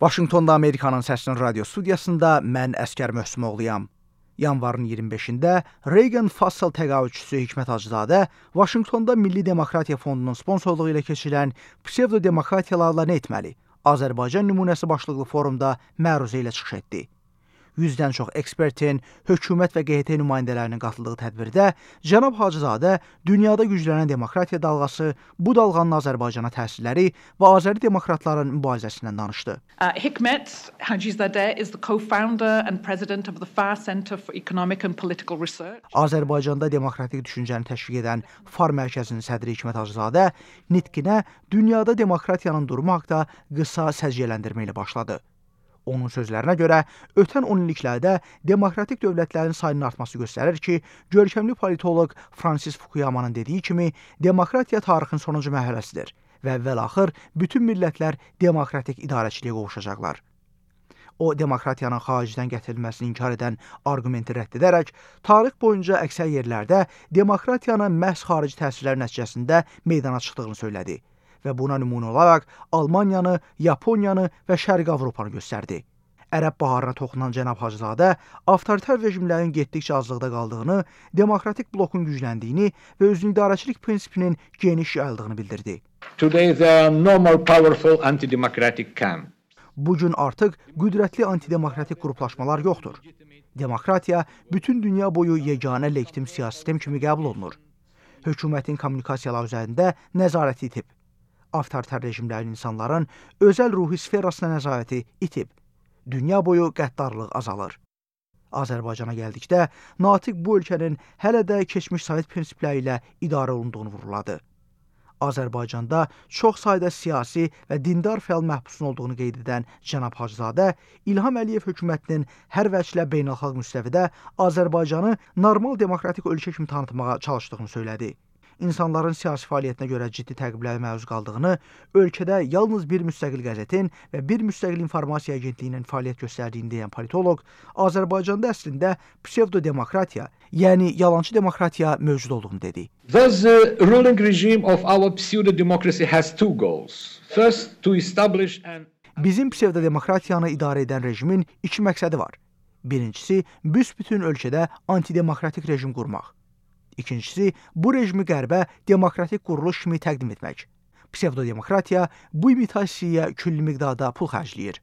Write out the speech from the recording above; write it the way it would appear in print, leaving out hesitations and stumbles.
Vaşinqtonda Amerikanın Səsinin radio studiyasında mən Əskər Möhsümoğluyam. Yanvarın 25-də Reagan Fassal təqaüdçüsü Hikmət Hacızadə Vaşinqtonda Milli Demokratiya Fondunun sponsorluğu ilə keçirilən psevdodemokratiyalarla nə etməli? Azərbaycan nümunəsi başlıqlı forumda məruzə ilə çıxış etdi. 100-dən çox ekspertin, hökumət və QHT nümayəndələrinin qatıldığı tədbirdə cənab Hacızadə dünyada güclənən demokratiya dalğası, bu dalğanın Azərbaycana təsirləri və Azəri demokratların mübarizəsindən danışdı. Hikmet Hacızadə is the co-founder and president of the Far Center for Economic and Political Research. Azərbaycanda demokratik düşüncəni təşviq edən FAR mərkəzinin sədri Hikmət Hacızadə nitqinə dünyada demokratiyanın durumu haqqında qısa səciyyələndirmə ilə başladı. Onun sözlərinə görə, ötən 10 illiklərdə demokratik dövlətlərin sayının artması göstərir ki, görkəmli politoloq Francis Fukuyamanın dediyi kimi, demokratiya tarixin sonuncu mərhələsidir və əvvəl-axır bütün millətlər demokratik idarəçiliyə qovuşacaqlar. O, demokratiyanın xaricdən gətirilməsini inkar edən arqumenti rədd edərək, tarix boyunca əksər yerlərdə demokratiyanın məhz xarici təsirlər nəticəsində meydana çıxdığını söylədi və buna nümunə olaraq Almaniyanı, Yaponiyanı və Şərqi Avropanı göstərdi. Ərəb baharına toxunan cənab Hacızadə avtoritar rejimlərin getdikcə azlıqda qaldığını, demokratik blokun gücləndiyini və özünüidarəçilik prinsipinin geniş yayıldığını bildirdi. Today there are no more powerful anti-democratic camps. Bugün artıq qüdrətli antidemokratik qruplaşmalar yoxdur. Demokratiya bütün dünya boyu yeganə legitim siyasi sistem kimi qəbul olunur. Hökumətin kommunikasiyalar üzərində nəzarəti itib. Avtoritar rejimlərin insanların özəl ruhi sferasına nəzarəti itib. Dünya boyu qəddarlıq azalır. Azərbaycana gəldikdə, Natiq bu ölkənin hələ də keçmiş Sovet prinsipləri ilə idarə olunduğunu vurğuladı. Azərbaycanda çox sayda siyasi və dindar fəal məhbusun olduğunu qeyd edən cənab Hacızadə, İlham Əliyev hökumətinin hər vəclə beynəlxalq müstəvidə Azərbaycanı normal demokratik ölkə kimi tanıtmağa çalışdığını söylədi. İnsanların siyasi fəaliyyətinə görə ciddi təqiblərə məruz qaldığını, ölkədə yalnız bir müstəqil qəzetin və bir müstəqil informasiya agentliyinin fəaliyyət göstərdiyini deyən politoloq, Azərbaycanda əslində psevdodemokratiya, yəni yalançı demokratiya mövcud olduğunu dedi. Thus, the ruling regime of our pseudo-democracy has two goals. First, to establish an... Bizim psevdodemokratiyanı idarə edən rejimin iki məqsədi var. Birincisi, büsbütün ölkədə antidemokratik rejim qurmaq. İkincisi, bu rejimi qərbə demokratik quruluş kimi təqdim etmək. Psevdodemokratiya bu imitasiyaya külli miqdarda pul xərcləyir.